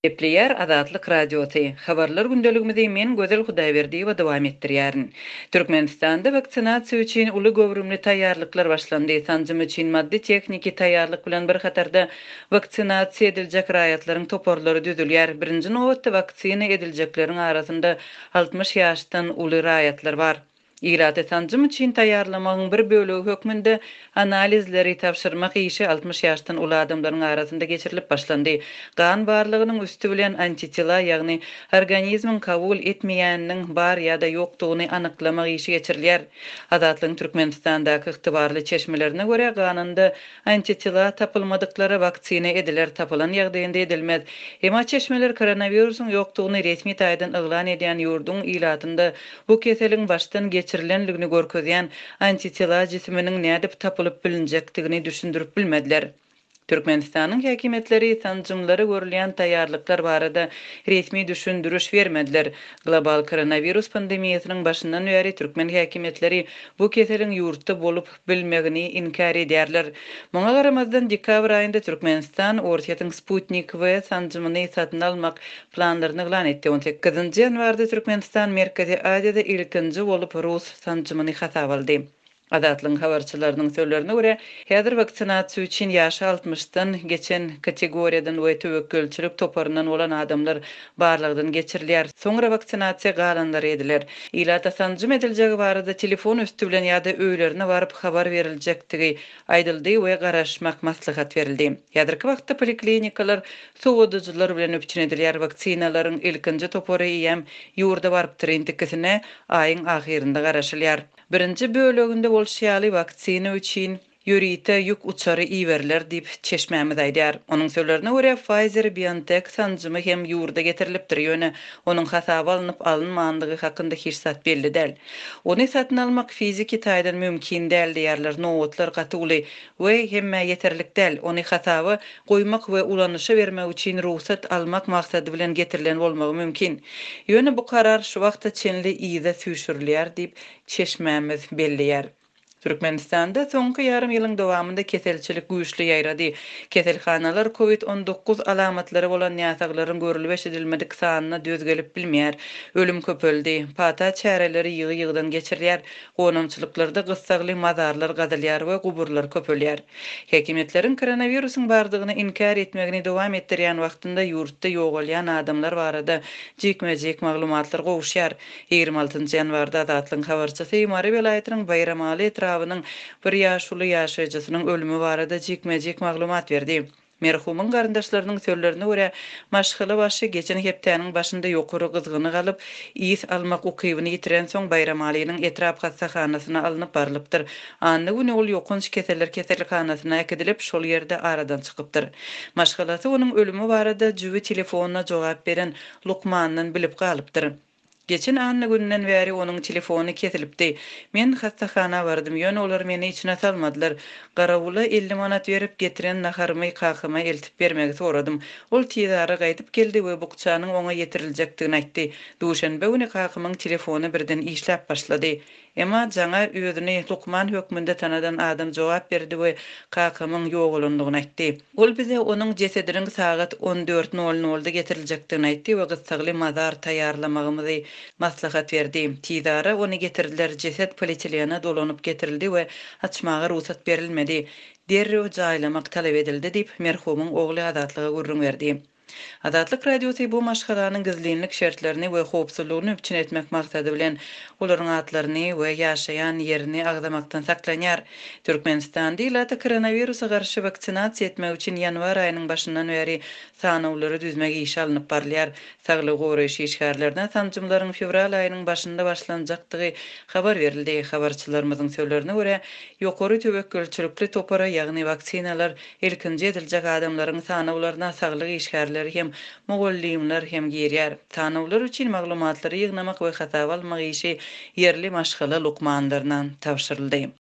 Gepleýär Azatlyk Radiosy. Habarlar gündeligimizi men Gözel Hudaýberdiýewa dowam etdirýärin. Türkmenistanda waksinasiýa üçin uly göwrümli taýýarlyklar başlandy. Sanjym üçin maddy-tehniki taýýarlyk bilen bir hatarda waksinasiýa ediljek raýatlaryň toparlary düzülýär. Birinji nobatda waksina ediljekleriň arasynda 60 ýaşdan uly raýatlar bar. Ilaty sanjym üçin taýýarlamagyň bir bölegi hökmünde analizleri tabşyrmak işi 60 ýaşdan uly adamlaryň arasynda geçirilip başlandy. Gan barlagynyň üsti bilen antitela, ýagny organizmiň kabul etmeýäniniň bar ýa-da ýokdugyny anyklamak işi geçirilýär. Azatlygyň Türkmenistandaky ygtybarly çeşmelerine görä, ganynda Antitela tapylmadyklara waksina ediler, tapylan ýagdaýynda edilmez. Emma çeşmeler koronawirusyň ýokdugyny resmi taýdan yglan edýän ýurduň ilatynda bu keseliň başdan geçirilenligini görkezýän antitela jisiminiň nädip tapylyp bilinjekdigini düşündirip bilmediler. Türkmenistanyň häkimiýetleri sanjymlara görülýän taýýarlyklar barada resmi düşündiriş bermediler. Global koronawirus pandemiýasynyň başyndan bäri türkmen häkimiýetleri bu keseliň ýurtda bolup bilmegini inkär edýärler. Muňa garamazdan, dekabr aýynda Türkmenistan Orsýetiň Sputnik V sanjymyny satyn almak planlaryny yglan etdi. On sekizinji ýanwarda Türkmenistan Merkezi Aziýada ilkinji bolup rus sanjymyny hasaba aldy. Azatlygyň habarçylarynyň sözlerine görä, häzir waksinasiýa üçin ýaşy altmyşdan geçen kategoriýadan we töwekgelçilik toparyndan bolan adamlar barlagdan geçirilýär. Soňra waksinasiýa galanlary ediler. Ilata sanjym ediljegi barada telefon üsti bilen ýa-da öýlerine baryp habar beriljekdigi aýdyldy we garaşmak maslahat berildi. Häzirki wagtda poliklinikalar sowadyjylar bilen üpjün edilýär. Waksinalaryň ilkinji topary eýýäm ýurda barypdyr, indikisine aýyň ahyrynda garaşylýar. Birinji böleginde bolşy ýaly, waksina üçin ýörite ýük uçary iberiler diýip, çeşmämiz aýdýar. Onuň sözlerine görä, Pfizer-BioNTech sanjymy hem ýurda getirilipdir, ýöne onuň hasaba alnyp-alynmandygy hakynda hiç zat belli däl. Ony satyn almak fiziki taýdan mümkin däl diýýärler, nobatlar gaty uly we hemmä ýeterlik däl. Ony hasaba goýmak we ulanyşa bermek üçin rugsat almak maksady bilen getirilen bolmagy mümkin. Ýöne bu karar şu wagta çenli yza süýşürilýär diýip, çeşmämiz belleýär. Türkmenistanda soňky ýarym ýylyň dowamynda keselçilik güýçli ýaýrady. Keselhanalar covid 19 alamatlary bolan näsaglaryň görlüp-eşidilmedik sanyna döz gelip bilmeýär. Ölüm köpeldi. Pata çäreleri ýygy-ýygydan geçirilýär. Gonamçylyklarda gyssagly mazarlar gazylýar we guburlar köpelýär. Häkimiýetleriň koronawirusyň bardygyny inkär etmegini dowam etdirýän wagtynda ýurtda ýogalýan adamlar barada jikme-jik maglumatlar gowuşýar. 26 njy ýanwarda Azatlygyň habarçysy Mary welaýatynyň Baýramaly etrabynyň bir ýaşuly ýaşaýjysynyň ölümi barada jikme-jik maglumat berdi. Merhumyň garyndaşlarynyň sözlerine görä, maşgala başy geçen hepdäniň başynda ýokary gyzgyny galyp, ys almak ukybyny ýitirensoň Baýramalynyň etrap hassahanasyna alnyp barlypdyr. Anna güni ol ýokanç keseller keselhanasyna äkidilip, şol ýerde aradan çykypdyr. Maşgalasy onuň ölümi barada jübi telefonyna jogap beren lukmandan bilip galypdyr. Geçen anna gününden bäri onuň telefony kesilipdi. Men hassahana bardym, ýöne olar meni içine salmadylar. Garawula 50 manat berip, getiren naharymy kakama eltip bermegi soradym. Ol tizara gaýdyp geldi we bukjanyň oňa ýetiriljekdigini aýtdy. Duşenbe güni kakamyň telefony birden işläp başlady. Emma jaňa özüni lukman hökmünde tanadan adam jogap berdi we kakamyň ýogalandygyny aýtdy. Ol bize onuň jesediniň sagat on dört nol nolda getiriljekdigini aýtdy we gyssagly mazar taýýarlamagymyzy maslahat berdi. Tizara ony getirdiler, jeset polietilene dolanyp getirildi we açmaga rugsat berilmedi. Derrew jaýlamak talap edildi diýip, merhumyň ogly Azatlyga gürrüň berdi. Azatlyk Radiosy bu maşgalanyň gizlinlik şertlerini we howpsuzlygyny üpjün etmek maksady bilen, olaryň atlaryny we ýaşaýan ýerini agzamakdan saklanýar. Türkmenistanda ilaty koronawirusa garşy waksinasiýa etmek üçin ýanwar aýynyň başyndan bäri sanawlary düzmek işi alnyp barylýar. Saglygy goraýyş işgärlerine sanjymlaryň fewral aýynyň başynda başlanjakdygy habar berildi. Habarçylarymyzyň sözlerine görä, ýokary töwekgelçilikli topara, ýagny waksinalar Ilkinji ediljek adamlaryň sanawlaryna saglyk işgärleri hem, mugallymlar hem girýär. Sanawlar üçin maglumatlary ýygnamak we hasaba almak işi ýerli maşgala lukmanlaryna tabşyryldy.